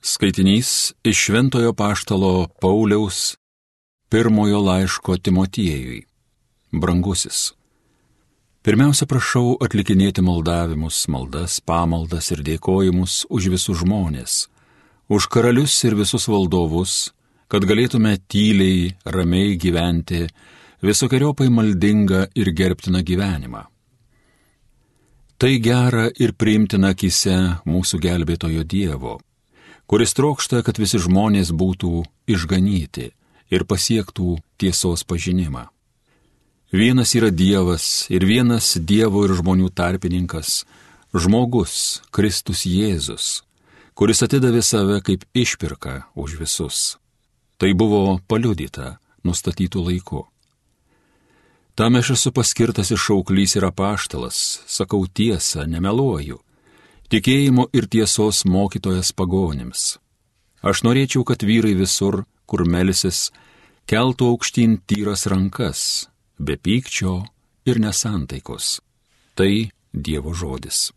Skaitinys iš Šventojo Apaštalo Pauliaus pirmojo laiško Timotiejui. Brangusis. Pirmiausia, prašau atlikinėti maldavimus, maldas, pamaldas ir dėkojimus už visus žmonės, už karalius ir visus valdovus, kad galėtume tyliai, ramiai gyventi visokiojopai maldingą ir gerbtiną gyvenimą. Tai gera ir priimtina akyse mūsų gelbėtojo Dievo, kuris trokšta, kad visi žmonės būtų išganyti ir pasiektų tiesos pažinimą. Vienas yra Dievas ir vienas Dievo ir žmonių tarpininkas, žmogus, Kristus Jėzus, kuris atidavė save kaip išpirką už visus. Tai buvo paliudyta nustatytų laiku. Tam aš esu paskirtas ir šauklys ir apaštalas, sakau tiesą, nemeluoju, tikėjimo ir tiesos mokytojas pagonims. Aš norėčiau, kad vyrai visur, kur melsis, keltų aukštyn tyras rankas, be pykčio ir nesantaikos. Tai Dievo žodis.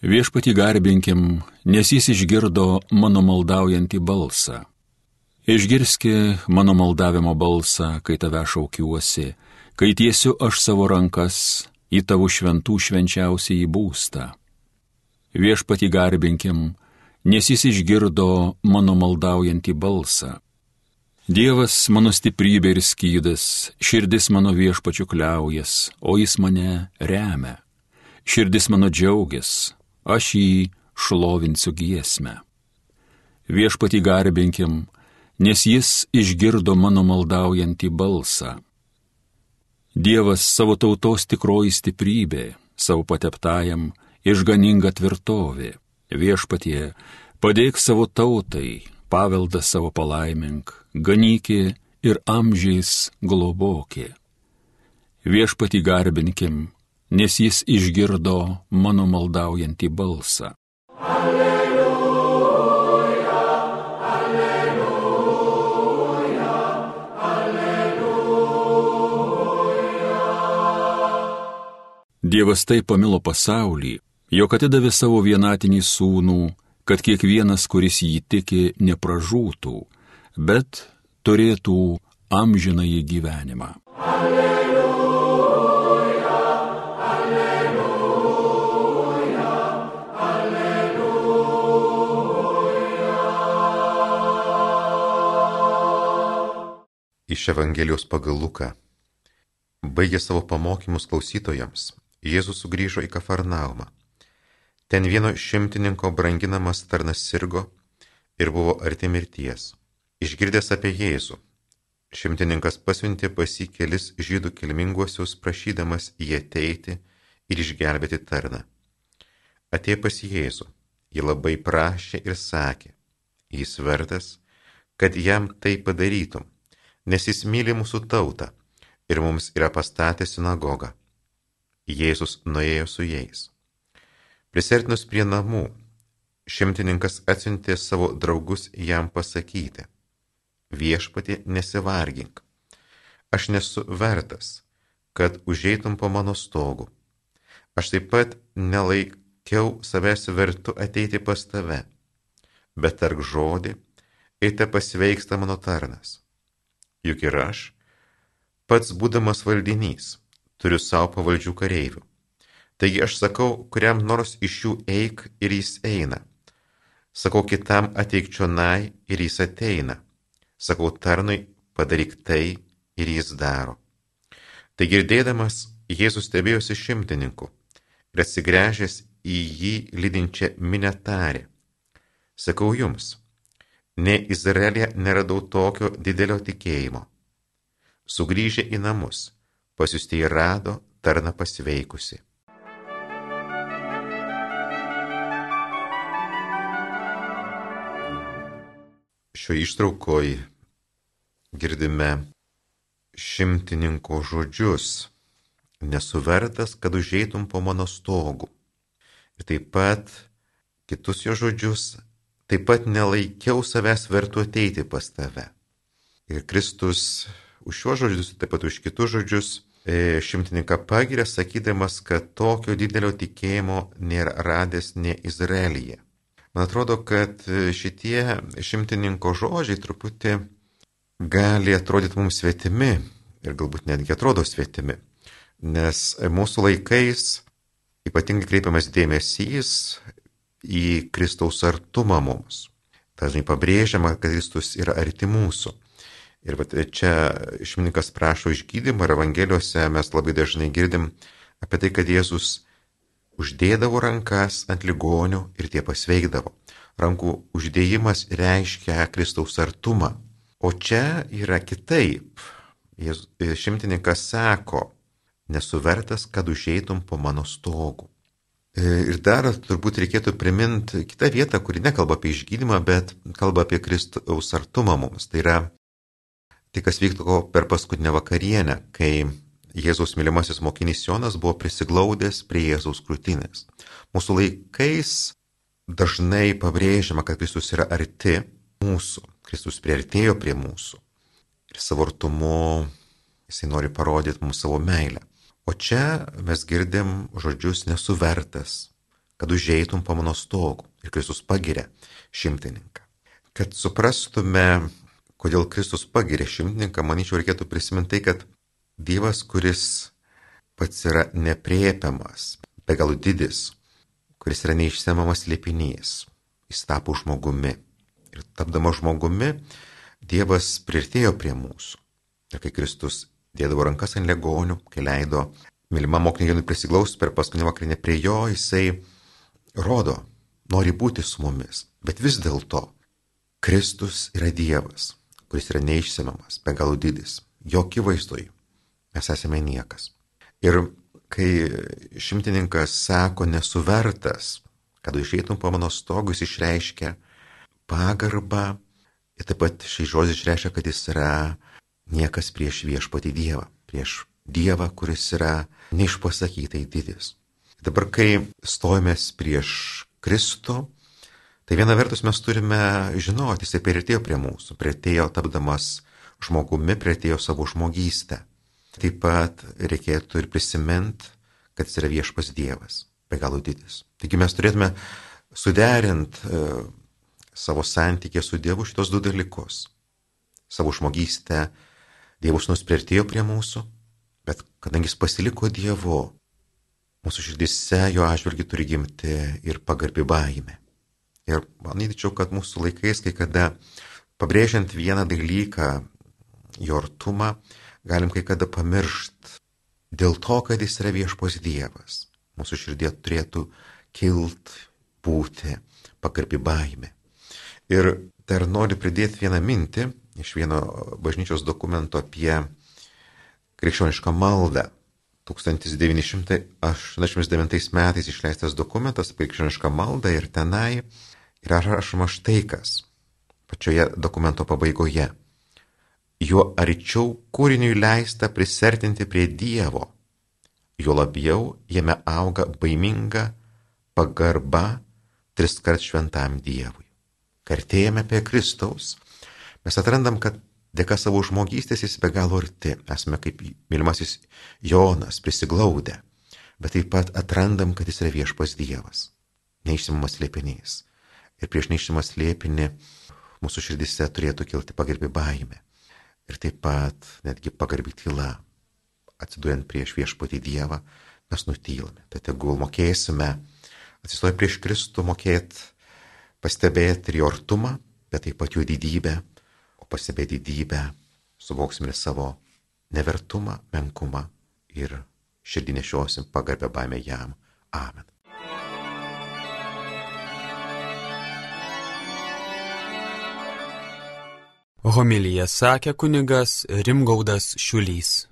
Viešpatį garbinkim, nes jis išgirdo mano maldaujantį balsą. Išgirski mano maldavimo balsą, kai tave šaukiuosi, kai tiesiu aš savo rankas į tavo šventų švenčiausiąjį būstą. Viešpatį garbinkim, nes jis išgirdo mano maldaujantį balsą. Dievas mano stiprybė ir skydas, širdis mano Viešpačiu kliaujas, o jis mane remia. Širdis mano džiaugias, aš jį šlovinsiu giesmę. Viešpatį garbinkim, nes jis išgirdo mano maldaujantį balsą. Dievas savo tautos tikroji stiprybė, savo pateptajam išganinga tvirtovė. Viešpatie, padėk savo tautai, paveldą savo palaimink, ganykė ir amžiais globokė. Viešpatį garbinkim, nes jis išgirdo mano maldaujantį balsą. Dievas taip pamilo pasaulį, jog atidavė savo vienatinį sūnų, kad kiekvienas, kuris jį tiki, nepražūtų, bet turėtų amžinąjį gyvenimą. Alleluja, alleluja, alleluja. Iš Evangelijos pagal Luką. Baigė savo pamokymus klausytojams, Jėzus sugrįžo į Kafarnaumą. Ten vieno šimtininko branginamas tarnas sirgo ir buvo arti mirties. Išgirdęs apie Jėzų, šimtininkas pasiuntė pas jį kelis žydų kilminguosius, prašydamas jį ateiti ir išgelbėti tarną. Atėjo pas Jėzų, jį labai prašė ir sakė, jis vertas, kad jam tai padarytum, nes jis myli mūsų tautą ir mums yra pastatęs sinagogą. Jėzus nuėjo su jais. Prisertinus prie namų, šimtininkas atsiuntė savo draugus jam pasakyti, viešpatie, nesivargink, aš nesu vertas, kad užeitum po mano stogu. Aš taip pat nelaikiau savęs vertu ateiti pas tave, bet tark žodį, ir te pasveiksta mano tarnas. Juk ir aš, pats būdamas valdinys, turiu savo pavaldžių kareivių. Taigi aš sakau, kuriam nors iš jų eik ir jis eina. Sakau kitam ateik čionai ir jis ateina. Sakau tarnui padaryk tai ir jis daro. Tai girdėdamas, Jėzus stebėjosi šimtininku ir atsigręžęs į jį lydinčią minią tarė. Sakau jums, ne Izraelyje neradau tokio didelio tikėjimo. Sugrįžę į namus, pasiųstieji rado tarną pasveikusi. Šioje ištraukoje girdime šimtininko žodžius, nesu vertas, kad užeitum po mano stogų. Ir taip pat kitus jo žodžius, taip pat nelaikiau savęs vertu ateiti pas tave. Ir Kristus už šiuos žodžius, taip pat už kitus žodžius šimtininką pagiria, sakydamas, kad tokio didelio tikėjimo nėra radęs ne Izraelyje. Man atrodo, kad šitie šimtininko žodžiai truputį gali atrodyti mums svetimi ir galbūt netgi atrodo svetimi, nes mūsų laikais ypatingai kreipiamas dėmesys į Kristaus artumą mums. Dažnai pabrėžiama, kad Kristus yra arti mūsų. Ir čia šimtininkas prašo išgydymą ir Evangelijose mes labai dažnai girdim apie tai, kad Jėzus uždėdavo rankas ant ligonių ir tie pasveikdavo. Rankų uždėjimas reiškia Kristaus artumą. O čia yra kitaip. Šimtininkas sako, nesu vertas, kad užeitum po mano stogu. Ir dar turbūt reikėtų priminti kitą vietą, kuri nekalba apie išgydymą, bet kalba apie Kristaus artumą mums. Tai yra tai, kas vyktų per paskutinę vakarienę, kai Jėzaus mylimasis mokinys Jonas buvo prisiglaudęs prie Jėzaus krūtinės. Mūsų laikais dažnai pabrėžiama, kad Kristus yra arti mūsų. Kristus priartėjo prie mūsų. Ir savo artumu jisai nori parodyti mums savo meilę. O čia mes girdim žodžius nesu vertas, kad užeitum po mano stogu. Ir Kristus pagiria šimtininką. Kad suprastume, kodėl Kristus pagiria šimtininką, manyčiau, reikėtų prisiminti tai, kad Dievas, kuris pats yra nepriepiamas, be galo didis, kuris yra neišsemiamas slėpinys, jis tapo žmogumi. Ir tapdamas žmogumi, Dievas priartėjo prie mūsų. Ir kai Kristus dėdavo rankas ant ligonių, kai leido mylimam mokiniui Jonui prisiglausti per paskutinį vakarinę prie jo, jisai rodo, nori būti su mumis. Bet vis dėlto Kristus yra Dievas, kuris yra neišsemiamas, be galo didis. Jo akivaizdoj mes esame niekas. Ir kai šimtininkas sako nesu vertas, kad užeitum po mano stogu, jis išreiškia pagarbą ir taip pat šį žodį išreiškia, kad jis yra niekas prieš viešpatį Dievą, prieš Dievą, kuris yra neišpasakytai didis. Dabar, kai stojamės prieš Kristų, tai viena vertus mes turime žinoti, jisai priartėjo prie mūsų, priartėjo tapdamas žmogumi, priartėjo savo žmogystę. Taip pat reikėtų ir prisiminti, kad jis yra viešpas Dievas, be galo didis. Taigi mes turėtume suderinti savo santykį su Dievu šitos du dalykus. Savo žmogystę Dievus nuspriartėjo prie mūsų, bet kadangi jis pasiliko Dievu, mūsų širdise jo atžvilgiu turi gimti ir pagarbi baimė. Ir manyčiau, kad mūsų laikais, kai kada pabrėžiant vieną dalyką, jo artumą, galim kai kada pamiršti dėl to, kad jis yra viešpos Dievas. Mūsų širdie turėtų kilt, būti pagarbi baimė. Ir dar noriu pridėti vieną mintį iš vieno bažnyčios dokumento apie krikščionišką maldą. 1989 metais išleistas dokumentas apie krikščionišką maldą ir tenai yra rašoma štai kas, pačioje dokumento pabaigoje. Juo arčiau kūriniui leista prisertinti prie Dievo, juo labiau jame auga baiminga pagarba triskart šventam Dievui. Kartėjame apie Kristaus, mes atrandam, kad dėka savo žmogystės jis be galo arti, esame kaip mylimasis Jonas prisiglaudę, bet taip pat atrandam, kad jis yra viešpas Dievas, neišsimamas slėpinys. Ir prieš neišsimamas slėpinį mūsų širdise turėtų kilti pagarbi baimė. Ir taip pat netgi pagarbi tyla, atsiduojant prieš viešpatį Dievą, mes nutylame. Tai tegul mokėsime atsistoję prieš Kristų, mokėti pastebėti ir jo artumą, bet taip pat jo didybę, o pastebėti didybę suvoksime ir savo nevertumą, menkumą ir širdį nešiosim pagarbę baimę jam. Amen. Homiliją sakė kunigas Rimgaudas Šiulys.